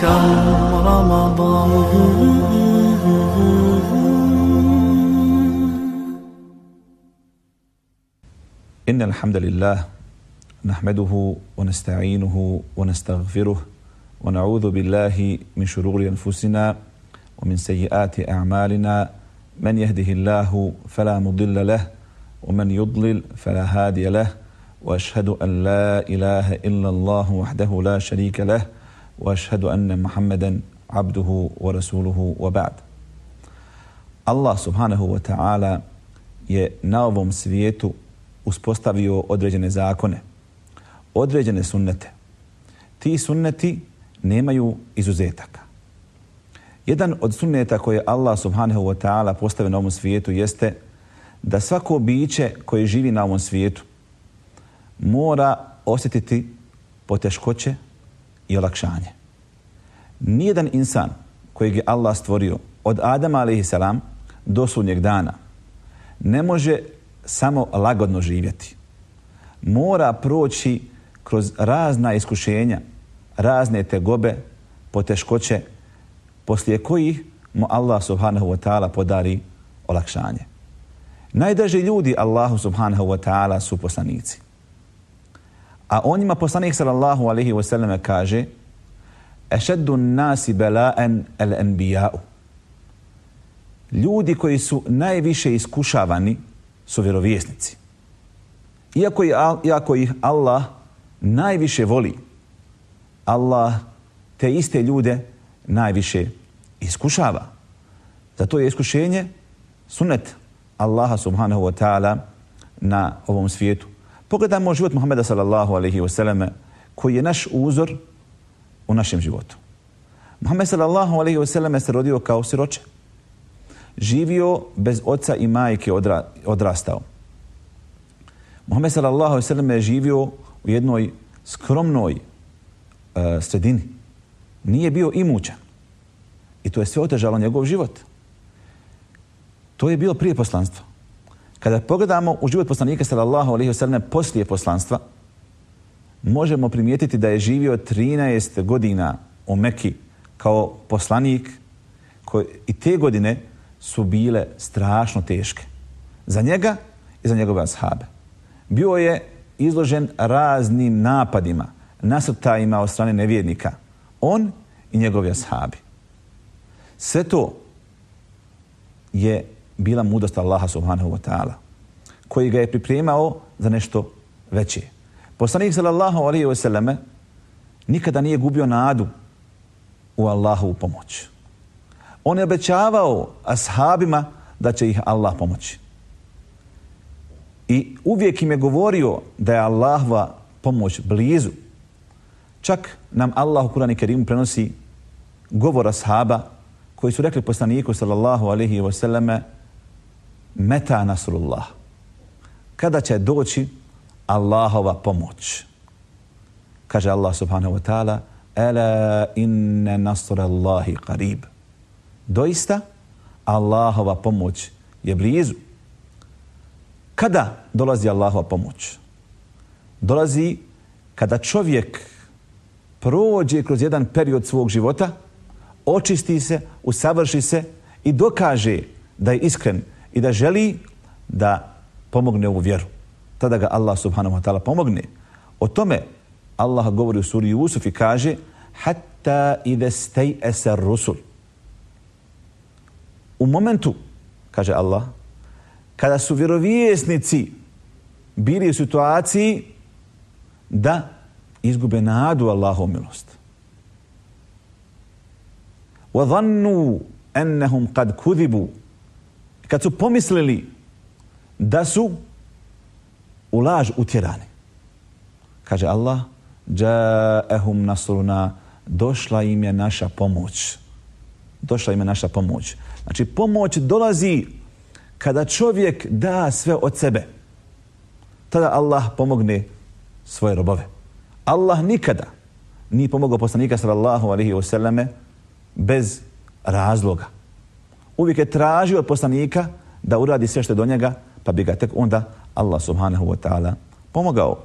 كم رمضان. إن الحمد لله نحمده ونستعينه ونستغفره ونعوذ بالله من شرور أنفسنا ومن سيئات أعمالنا. من يهده الله فلا مضل له ومن يضلل فلا هادي له، وأشهد أن لا إله إلا الله وحده لا شريك له، وأشهد أن محمدا عبده ورسوله وبعد. Allah subhanahu wa ta'ala je na ovom svijetu uspostavio određene zakone, određene sunnete. Ti sunneti nemaju izuzetaka. Jedan od sunneta koje Allah subhanahu wa ta'ala postavio na ovom svijetu jeste da svako biće koje živi na ovom svijetu mora osjetiti poteškoće i olakšanje. Nijedan insan kojeg je Allah stvorio od Adama a.s. do sudnjeg dana ne može samo lagodno živjeti. Mora proći kroz razna iskušenja, razne tegobe, poteškoće, poslije kojih mu Allah subhanahu wa ta'ala podari olakšanje. Najdraži ljudi Allahu subhanahu wa ta'ala su poslanici. A o njima poslanik sallallahu alaihi wa sallam kaže: Ešeddu nasi bela'en el-enbija'u. Ljudi koji su najviše iskušavani su vjerovjesnici. Iako ih Allah najviše voli, Allah te iste ljude najviše iskušava. Zato je iskušenje sunnet Allaha subhanahu wa ta'ala na ovom svijetu. Pogledajmo život Muhammeda sallallahu alaihi wa sallam, koji je naš uzor u našem životu. Muhammed sallallahu alaihi wa sallam se rodio kao siroče. Živio bez oca i majke, odrastao. Muhammed sallallahu alaihi wa sallam je živio u jednoj skromnoj sredini. Nije bio imućan. I to je sve otežalo njegov život. To je bilo prije poslanstva. Kada pogledamo u život poslanika sallallahu alejhi ve sellem poslije poslanstva, možemo primijetiti da je živio 13 godina u Mekki kao poslanik, i te godine su bile strašno teške za njega i za njegove ashabe. Bio je izložen raznim napadima, nasrtajima od strane nevjernika, on i njegovi ashabi. Sve to je bila mudrost Allaha subhanahu wa ta'ala, koji ga je pripremao za nešto veće. Poslanik sallallahu alejhi ve selleme nikada nije gubio nadu u Allahovu pomoć. On je obećavao ashabima da će ih Allah pomoći. I uvijek im je govorio da je Allahova pomoć blizu. Čak nam Allah u Kur'anu Kerimu prenosi govor ashaba koji su rekli poslaniku sallallahu alejhi ve selleme: Meta nasrullah. Kada će doći Allahova pomoć? Kaže Allah subhanahu wa ta'ala: Ala inna nasrallahi qarib. Doista Allahova pomoć je blizu. Kada dolazi Allahova pomoć? Dolazi kada čovjek prođe kroz jedan period svog života, očisti se, usavrši se i dokaže da je iskren i da želi da pomogne ovu vjeru. Tada ga Allah subhanahu wa ta'ala pomogne. O tome Allah govori u suri Jusuf i kaže: Hatta idha stay'asa ar-rusul. U momentu, kaže Allah, kada su vjerovjesnici bili u situaciji da izgube nadu Allahovu milost. Wa dhannu annahum qad kudhibu. Kad su pomislili da su u laž utjerani. Kaže Allah: Ja'ahum nasruna. Došla im je naša pomoć. Došla im je naša pomoć. Znači, pomoć dolazi kada čovjek da sve od sebe. Tada Allah pomogne svoje robove. Allah nikada nije pomogao poslanika sallallahu alejhi ve selleme bez razloga. Uvijek je tražio od poslanika da uradi sve što je do njega, pa bi ga tek onda Allah subhanahu wa ta'ala pomogao.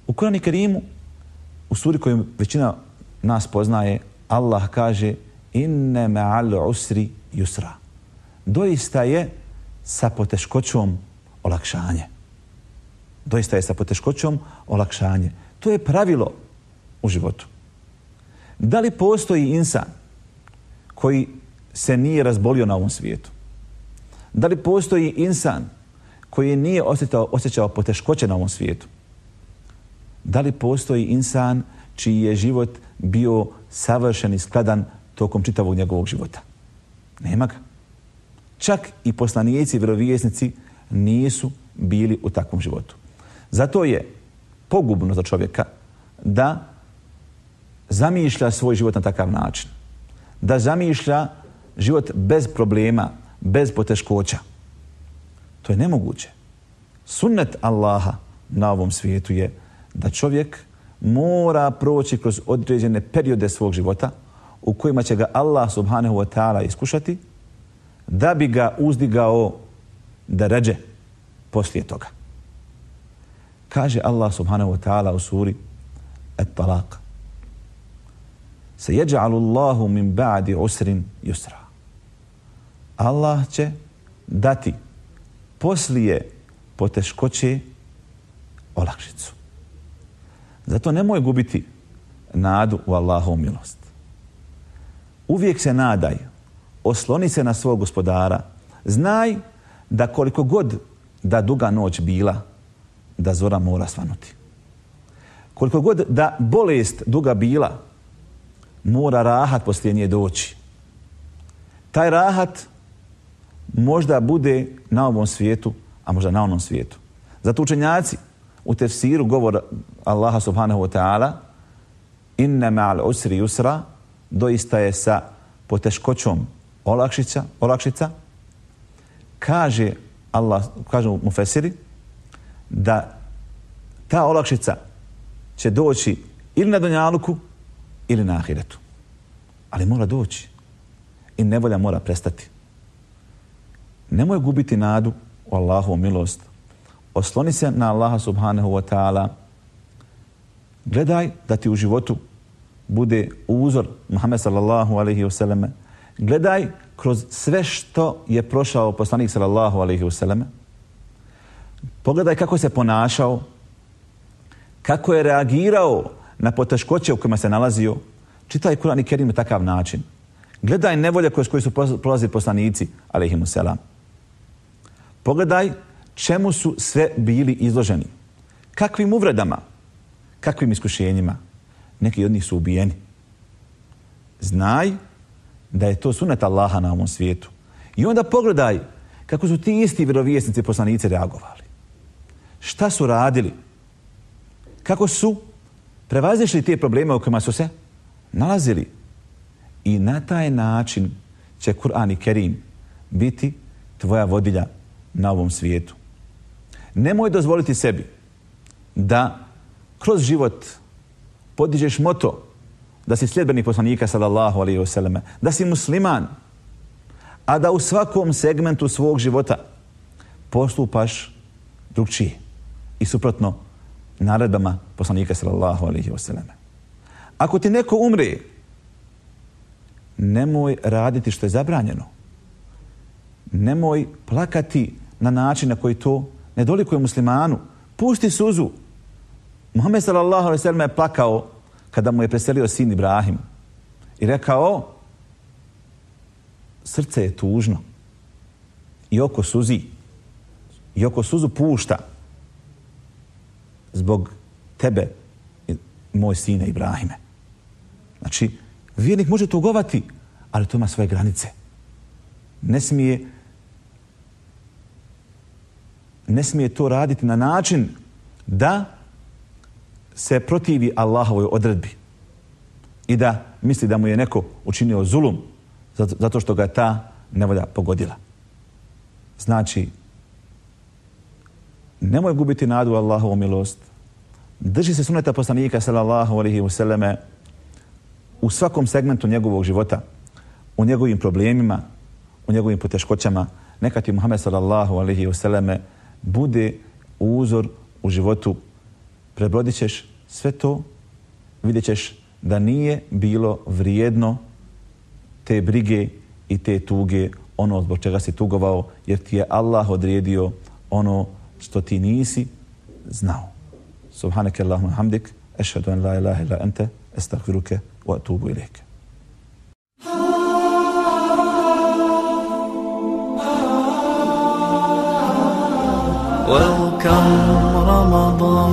U Kur'anu Kerimu, u suri koju većina nas poznaje, Allah kaže inne ma'al usri yusra. Doista je sa poteškoćom olakšanje. Doista je sa poteškoćom olakšanje. To je pravilo u životu. Da li postoji insan koji se nije razbolio na ovom svijetu? Da li postoji insan koji nije osjećao poteškoće na ovom svijetu? Da li postoji insan čiji je život bio savršen i skladan tokom čitavog njegovog života? Nema ga. Čak i poslanici, vjerovjesnici nisu bili u takvom životu. Zato je pogubno za čovjeka da zamišlja svoj život na takav način. Da zamišlja život bez problema, bez poteškoća. To je nemoguće. Sunnet Allaha na ovom svijetu je da čovjek mora proći kroz određene periode svog života u kojima će ga Allah subhanahu wa ta'ala iskušati da bi ga uzdigao da ređe poslije toga. Kaže Allah subhanahu wa ta'ala u suri At-Talaq: Sejeđa'alu Allahu min ba'di usrin yusra. Allah će dati poslije poteškoće olakšicu. Zato nemoj gubiti nadu u Allahovu milost. Uvijek se nadaj, osloni se na svog gospodara. Znaj da koliko god da duga noć bila, da zora mora svanuti. Koliko god da bolest duga bila, mora rahat poslije nje doći. Taj rahat možda bude na ovom svijetu, a možda na onom svijetu. Zato učenjaci u tefsiru govor Allaha subhanahu wa ta'ala inna ma'al usri yusra, doista je sa poteškoćom olakšica. Kaže Allah, kažu mufesiri, da ta olakšica će doći ili na dunjaluku ili na ahiretu. Ali mora doći i nevolja mora prestati. Nemoj gubiti nadu u Allahovu milost. Osloni se na Allaha subhanahu wa ta'ala. Gledaj da ti u životu bude uzor Muhammed sallallahu alaihi wasallam. Gledaj kroz sve što je prošao poslanik sallallahu alaihi wasallam. Pogledaj kako se ponašao, kako je reagirao na poteškoće u kojima se nalazio. Čitaj Kur'an i Kerim na takav način. Gledaj nevolje kroz koje su prolazili poslanici alaihimu selam. Pogledaj čemu su sve bili izloženi. Kakvim uvredama, kakvim iskušenjima. Neki od njih su ubijeni. Znaj da je to sunnet Allaha na ovom svijetu. I onda pogledaj kako su ti isti vjerovjesnici i poslanici reagovali. Šta su radili? Kako su prevazišli te probleme u kojima su se nalazili. I na taj način će Kur'an i Kerim biti tvoja vodilja na ovom svijetu. Nemoj dozvoliti sebi da kroz život podižeš moto da si sljedbenik poslanika sallallahu alejhi ve selleme, da si musliman, a da u svakom segmentu svog života postupaš drugčije i suprotno naredbama poslanika sallallahu alejhi ve selleme. Ako ti neko umre, nemoj raditi što je zabranjeno. Nemoj plakati na način na koji to ne dolikuje muslimanu. Pusti suzu. Muhammed sallallahu alejhi ve sellem je plakao kada mu je preselio sin Ibrahim i rekao: srce je tužno i oko suzi i oko suzu pušta zbog tebe, moj sine Ibrahime. Znači, vjernik može tugovati, ali to ima svoje granice. Ne smije to raditi na način da se protivi Allahovoj odredbi i da misli da mu je neko učinio zulum zato što ga je ta nevolja pogodila. Znači, nemoj gubiti nadu u Allahovu milost. Drži se sunneta poslanika sallallahu alejhi ve selleme u svakom segmentu njegovog života, u njegovim problemima, u njegovim poteškoćama. Neka ti Muhammed sallallahu alejhi ve selleme bude uzor u životu. Prebrodit ćeš sve to, vidjet ćeš da nije bilo vrijedno te brige i te tuge, ono zbog čega si tugovao, jer ti je Allah odredio ono što ti nisi znao. Subhaneke Allahumma hamdik, ešhedu an la ilaha illa ente, estagfiruke wa atubu ilejke. Welcome Ramadan.